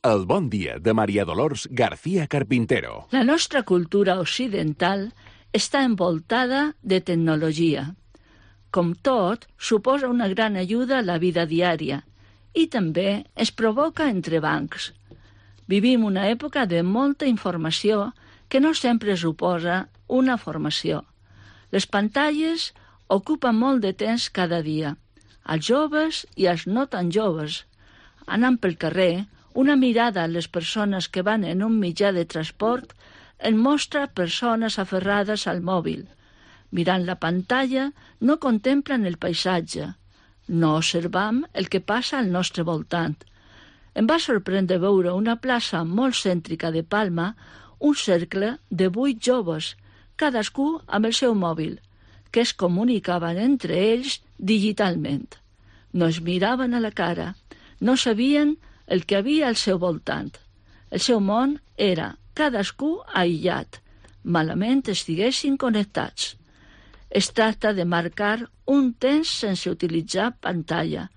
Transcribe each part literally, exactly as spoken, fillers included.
El bon dia de Maria Dolors García Carpintero. La nostra cultura occidental està envoltada de tecnologia. Com tot, suposa una gran ajuda a la vida diària i també es provoca entrebancs. Vivim una època de molta informació que no sempre suposa una formació. Les pantalles ocupen molt de temps cada dia, als joves i als no tan joves. Anant pel carrer, una mirada a les persones que van en un mitjà de transport en mostra persones aferrades al mòbil. Mirant la pantalla, no contemplen el paisatge. No observam el que passa al nostre voltant. Em va sorprendre veure una plaça molt cèntrica de Palma, un cercle de vuit joves, cadascú amb el seu mòbil, que es comunicaven entre ells digitalment. No es miraven a la cara, no sabien el que havia al seu voltant. El seu món era cadascú aïllat, malament estiguessin connectats. Es tracta de marcar un temps sense utilitzar pantalla,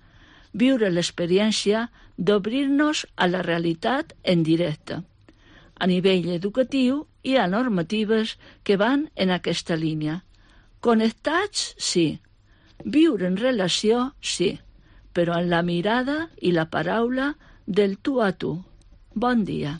viure l'experiència d'obrir-nos a la realitat en directe. A nivell educatiu hi ha normatives que van en aquesta línia. Connectats, sí. Viure en relació, sí. Però en la mirada i la paraula del tu a tu. Bon dia.